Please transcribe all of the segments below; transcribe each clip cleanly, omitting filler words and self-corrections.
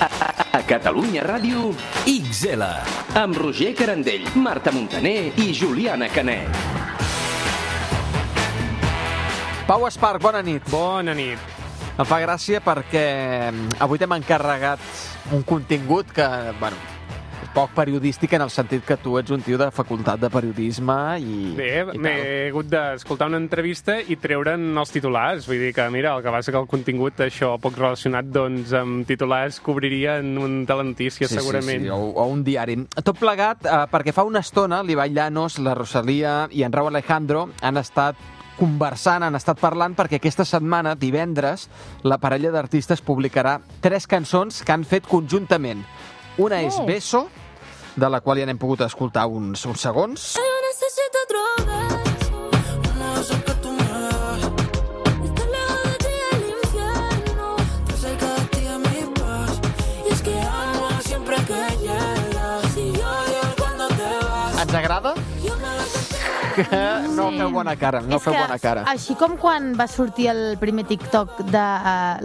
A Catalunya Ràdio, XL. amb Roger Carandell, Marta Montaner i Juliana Canet. Pau Esparc, bona nit. Bona nit. Em fa gràcia perquè avui t'hem encarregat un contingut que, bueno, és poc periodístic en el sentit que tu ets un tio de facultat de periodisme i... Bé, m'he hagut d'escoltar una entrevista i treure'n els titulars. Vull dir que, mira, el que passa que el contingut, això, poc relacionat, doncs, amb titulars cobriria en un telenotícies, segurament. Sí, o un diari. Tot plegat, perquè fa una estona l'Ibai Llanos, la Rosalía i en Rauw Alejandro han estat conversant, han estat parlant, perquè aquesta setmana, divendres, la parella d'artistes publicarà 3 cançons que han fet conjuntament. Una és Beso, de la qual ja n'hem pogut escoltar uns segons. Ens agrada? No feu bona cara, no feu bona cara. Així com quan va sortir el primer TikTok de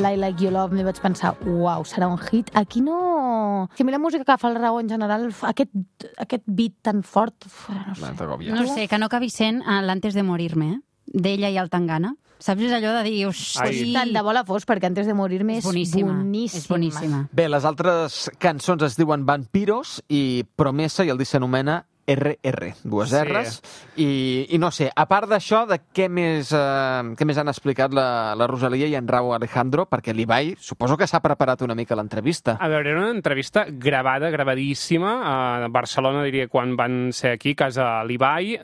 I Like You Love, m'hi vaig pensar, uau, serà un hit. Aquí no... Que a mi la música que fa el Rauw en general, aquest beat tan fort... No sé, que no acabi sent l'Antes de morirme, d'ella i el Tangana. Saps? És allò de dir... Tant de bo la fos, perquè Antes de morirme és boníssima. És boníssima. Bé, les altres cançons es diuen Vampiros i Promesa, i el disc s'anomena RR, dues R's. I no sé, a part d'això, de què més han explicat la Rosalía i en Rauw Alejandro? Perquè l'Ibai, suposo que s'ha preparat una mica l'entrevista. A veure, era una entrevista gravadíssima a Barcelona, diria, quan van ser aquí, a casa l'Ibai,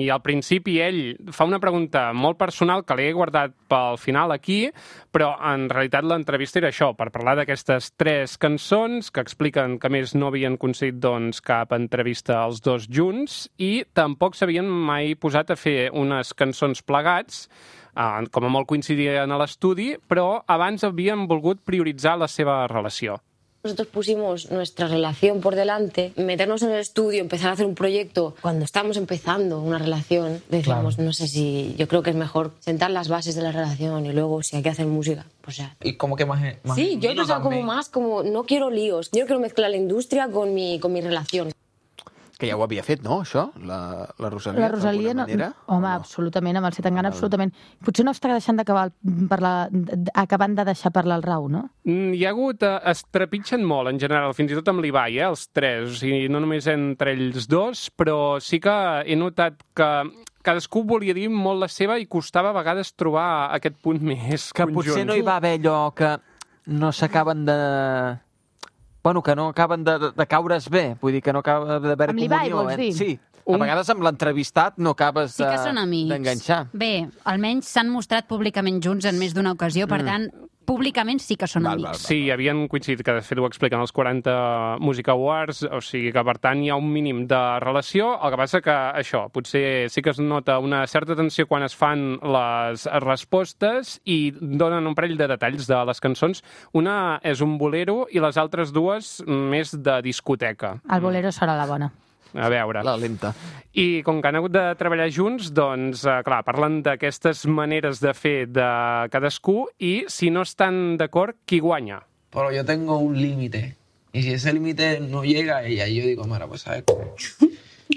i al principi ell fa una pregunta molt personal que l'he guardat pel final aquí, però en realitat l'entrevista era això, per parlar d'aquestes 3 cançons que expliquen que més no havien aconseguit doncs, cap entrevista als dos junts i tampoc s'havien mai posat a fer unes cançons plegats, com a molt coincidien a l'estudi, però abans havien volgut prioritzar la seva relació. Nosotros pusimos nuestra relación por delante, meternos en el estudio, empezar a hacer un proyecto. Cuando estamos empezando una relación, decíamos, claro, no sé si... Yo creo que es mejor sentar las bases de la relación y luego, si hay que hacer música, pues ya. Y como que más sí, yo he pensado como más, como no quiero líos. Yo quiero mezclar la industria con mi relación. Que ja ho havia fet, no, això? La Rosalía, la Rosalía manera? Home, no? Absolutament, amb el Zetangana, absolutament. Potser no està deixant acabant de deixar parlar el Rauw, no? Hi ha hagut... Es trepitgen molt, en general, fins i tot amb l'Ibai, els 3, o sigui, no només entre ells 2, però sí que he notat que cadascú volia dir molt la seva i costava a vegades trobar aquest punt més que conjunt. Potser no hi va haver allò que no s'acaben de... Bueno, que no acaben de caure's bé, vull dir que no acaba d'haver comunió. Amb l'Ibai, vols dir? Sí, a vegades amb l'entrevistat no acabes d'enganxar. Bé, almenys s'han mostrat públicament junts en més d'una ocasió, per tant, públicament sí que són amics. Sí, havien coincidit, que de fet ho expliquen els 40 Music Awards, o sigui que per tant hi ha un mínim de relació, el que passa que això, potser sí que es nota una certa tensió quan es fan les respostes i donen un parell de detalls de les cançons. Una és un bolero i les altres dues més de discoteca. El bolero serà la bona. A veure. La lenta. I com que han hagut de treballar junts, doncs, clar, parlen d'aquestes maneres de fer de cadascú i, si no estan d'acord, qui guanya? Pero yo tengo un límite. Y si ese límite no llega a ella, yo digo, mira, pues, ¿sabes?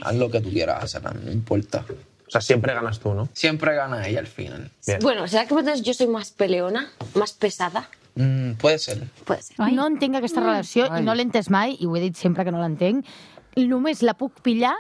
Haz lo que tú quieras hacer, no importa. O sea, siempre ganas tú, ¿no? Siempre gana ella al final. Bien. Bueno, ¿será que entonces yo soy más peleona, más pesada? Puede ser. Puede ser. No entenc aquesta relació i no l'he entès mai, i ho he dit sempre que no l'entenc. Només la puc pillar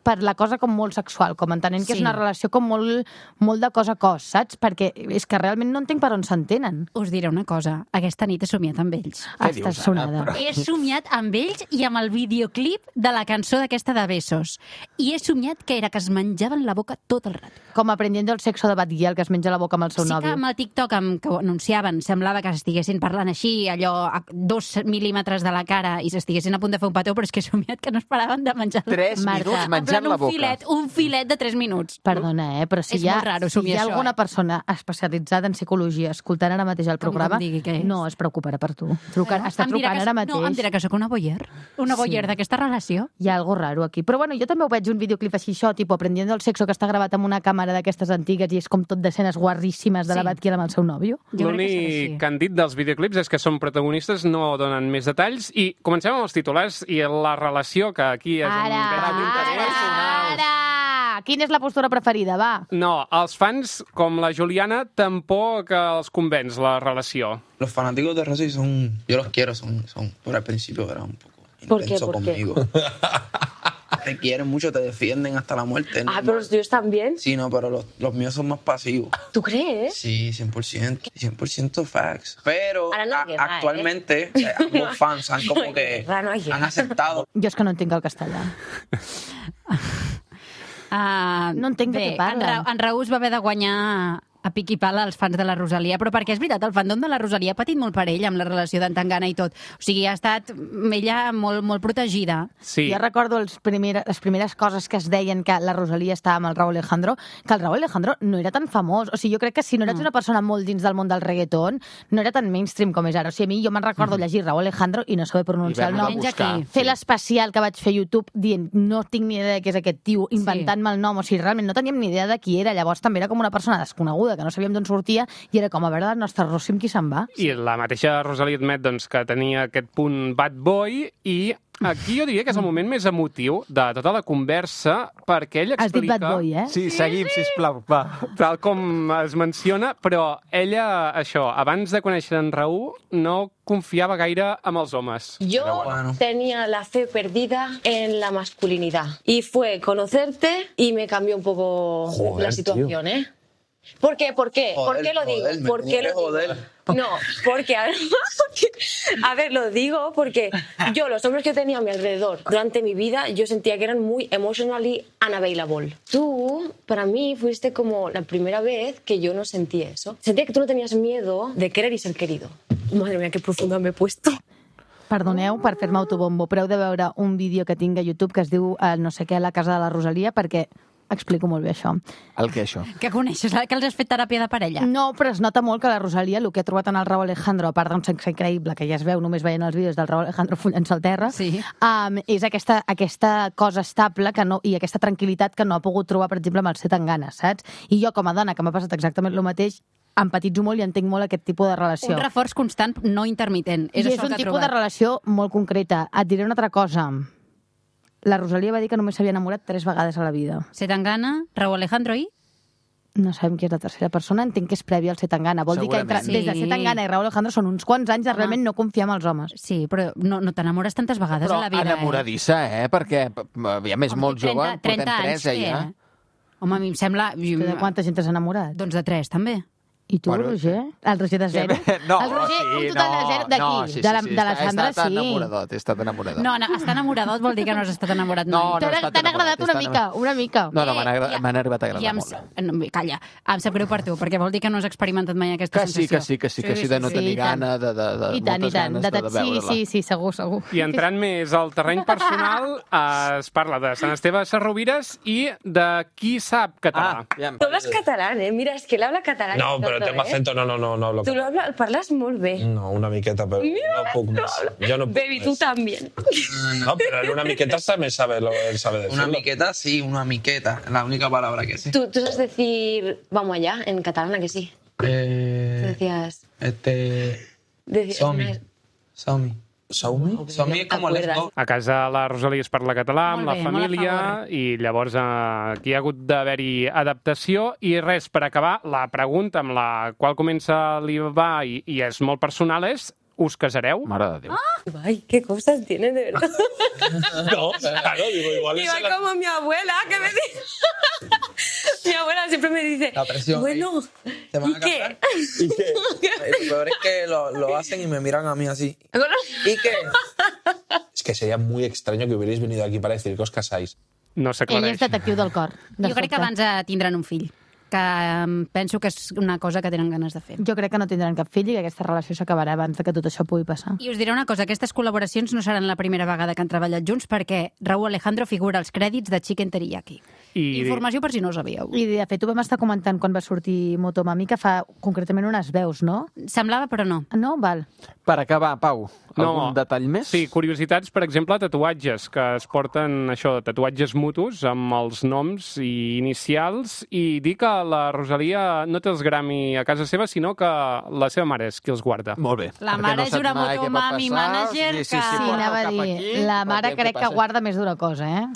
per la cosa com molt sexual, com entenent que és una relació com molt de cos a cos, saps? Perquè és que realment no entenc per on s'entenen. Us diré una cosa, aquesta nit he somiat amb ells. Estàs sonada. He somiat amb ells i amb el videoclip de la cançó d'aquesta de Besos. I he somiat que era que es menjaven la boca tot el rato. Com aprendiendo el sexo de Bad Gyal, que es menja la boca amb el seu nòvio. Sí que amb el TikTok que ho anunciaven semblava que estiguessin parlant així, allò a 2 mil·límetres de la cara i s'estiguessin a punt de fer un petó, però és que he somiat que no es paraven de menjar. 3 minuts desmenjant la boca. Un filet de 3 minuts. Perdona, però si És hi ha, molt raro si assumir hi ha això, alguna persona especialitzada en psicologia escoltant ara mateix el programa, digui què és. no es preocuparà per tu. Està trucant ara mateix. No, em dirà que sóc una voyeur. Una voyeur d'aquesta relació. Hi ha algo raro aquí. Però bueno, jo també ho veig un videoclip així, això, tipus Aprendiendo el sexo, que està gravat amb una càmera d'aquestes antigues i és com tot d'escenes guarríssimes de la Batkiel amb el seu nòvio. L'únic que han dit dels videoclips és que són protagonistes, no donen més detalls, i comencem amb els titulars i la relació, que aquí és un gran interès. Ara! Quina és la postura preferida, va? No, els fans, com la Juliana, tampoc els convenç la relació. Los fanáticos de Rosy son... Yo los quiero, son por al principio era un poco intenso conmigo. Te quieren mucho, te defienden hasta la muerte. Ah, pero los tuyos también. Sí, no, pero los míos son más pasivos. ¿Tú crees? Sí, 100%. 100% facts. Pero actualmente ambos fans han como que han aceptado. Jo és que no entenc el castellà. No entenc de què parlen. En Raúl va haver de guanyar a pic i pala als fans de la Rosalia, però perquè és veritat, el fandom de la Rosalia ha patit molt per ell amb la relació d'en Tangana i tot. O sigui, ha estat ella molt protegida. Sí. Jo recordo les primeres coses que es deien que la Rosalia estava amb el Raúl Alejandro, que el Raúl Alejandro no era tan famós. O sigui, jo crec que si no eres una persona molt dins del món del reggaeton, no era tan mainstream com és ara. O sigui, a mi jo me'n recordo llegir Raúl Alejandro i no saber pronunciar el nom. Fer l'especial que vaig fer a YouTube dient no tinc ni idea de què és aquest tio, inventant-me el nom. O sigui, realment no teníem ni idea de qui era. Llavors també era com una persona desconeguda, que no sabíem d'on sortia, i era com a veure la nostra Rossi amb qui se'n va. I la mateixa Rosalia admet doncs, que tenia aquest punt bad boy, i aquí jo diria que és el moment més emotiu de tota la conversa, perquè ell explica... Has dit bad boy, eh? Sí, seguim, sisplau, va. Tal com es menciona, però ella, això, abans de conèixer en Raúl, no confiava gaire amb els homes. Yo tenía la fe perdida en la masculinidad. Y fue conocerte y me cambió un poco la situación, ¿eh? ¿Por qué? ¿Por qué? ¿Por qué lo digo? ¿Por qué lo digo? No, porque, a ver, lo digo porque yo, los hombres que tenía a mi alrededor durante mi vida, yo sentía que eran muy emotionally unavailable. Tú, para mí, fuiste como la primera vez que yo no sentí eso. Sentía que tú no tenías miedo de querer y ser querido. Madre mía, qué profunda me he puesto. Perdoneu per fer-me autobombo, però heu de veure un vídeo que tinc a YouTube que es diu no sé què, a la casa de la Rosalia, perquè explico molt bé això. El què, això? Que coneixes, que els has fet teràpia de parella. No, però es nota molt que la Rosalia, el que ha trobat en el Raúl Alejandro, a part d'un sexe increïble, que ja es veu només veient els vídeos del Raúl Alejandro follant-se al terra, és aquesta cosa estable i aquesta tranquil·litat que no ha pogut trobar, per exemple, amb el Zetangana, saps? I jo, com a dona, que m'ha passat exactament el mateix, empatitzo molt i entenc molt aquest tipus de relació. Un reforç constant, no intermitent. És un tipus de relació molt concreta. Et diré una altra cosa. La Rosalia va dir que només s'havia enamorat 3 vegades a la vida. Zetangana, Raúl Alejandro i... No sabem qui és la tercera persona, entenc que és prèvia al Zetangana. Vol dir que des de Zetangana i Raúl Alejandro són uns quants anys de realment no confiar en els homes. Sí, però no t'enamores tantes vegades a la vida. Però enamoradissa, perquè aviam, és molt jove, portem 3 ja. Home, a mi em sembla... De quanta gent t'has enamorat? Doncs de 3, també. I tu, Roger? El Roger de 0? No, el Roger, un total de 0 d'aquí. De la Sandra, sí. He estat enamoradot. No, estar enamoradot vol dir que no has estat enamorat mai. No, t'han agradat una mica. No, m'han arribat a agradar molt. Calla, em sap greu per tu, perquè vol dir que no has experimentat mai aquesta sensació. Que sí, de no tenir gana, de moltes ganes de veure-la. Sí, segur. I entrant més al terreny personal, es parla de Sant Esteve Sesrovires i de qui sap català. Tu hablas catalán, ¿eh? Mira, es que él habla catalán. No, pero tengo acento, no hablo. Tú lo parlas molt bé. No, una miqueta, pero no puc més. Jo no puc Baby, tú también. No, pero en una miqueta también sabe decirlo. Una miqueta, sí, una miqueta. La única palabra que sé. Tú sabes decir vamos allá en catalán, ¿a que sí? Tú decías... Somi és com let's go. A casa la Rosalia es parla català, amb la família, i llavors aquí ha hagut d'haver-hi adaptació. I res, per acabar, la pregunta amb la qual comença l'Ibai i és molt personal és: us casareu? Mare de Déu. Ay, qué cosas tienes, de verdad. No, claro, digo, igual es... Iba como mi abuela, que me dice... Mi abuela siempre me dice, la presión, bueno, ¿te van a casar? ¿Y qué? Lo peor es que lo hacen y me miran a mí así. ¿Y qué? Es que sería muy extraño que hubierais venido aquí para decir que os casáis. No s'aclareix. Ell és detectiu del cor. Jo crec que abans tindran un fill. que penso que és una cosa que tenen ganes de fer. Jo crec que no tindran cap fill i que aquesta relació s'acabarà abans de que tot això pugui passar. I us diré una cosa, aquestes col·laboracions no seran la primera vegada que han treballat junts perquè Raúl Alejandro figura als crèdits de Chicken Teriyaki. Informació per si no ho sabíeu. I de fet ho vam estar comentant quan va sortir Motomami, que fa concretament unes veus, no? Semblava, però no. No? Val. Per acabar, Pau, algun detall més? Sí, curiositats, per exemple, tatuatges, que es porten tatuatges mutus amb els noms i inicials, i dir que la Rosalia no té els Grammy a casa seva, sinó que la seva mare és qui els guarda. Molt bé. La mare és una Motomami manager que... Sí, anava a dir, la mare crec que guarda més d'una cosa, eh?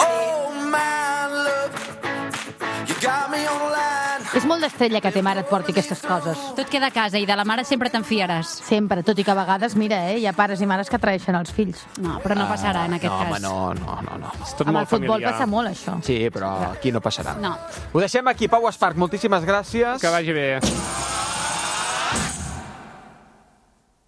És molt d'estrella que té mare et porti aquestes coses. Tot queda a casa i de la mare sempre te'n fiaràs. Sempre, tot i que a vegades, mira, hi ha pares i mares que traeixen els fills. No, però no passarà en aquest cas. No. És tot Amb molt el futbol familiar. passa molt, això. Sí, però aquí no passarà. No. Ho deixem aquí, Pau Esparc, moltíssimes gràcies. Que vagi bé.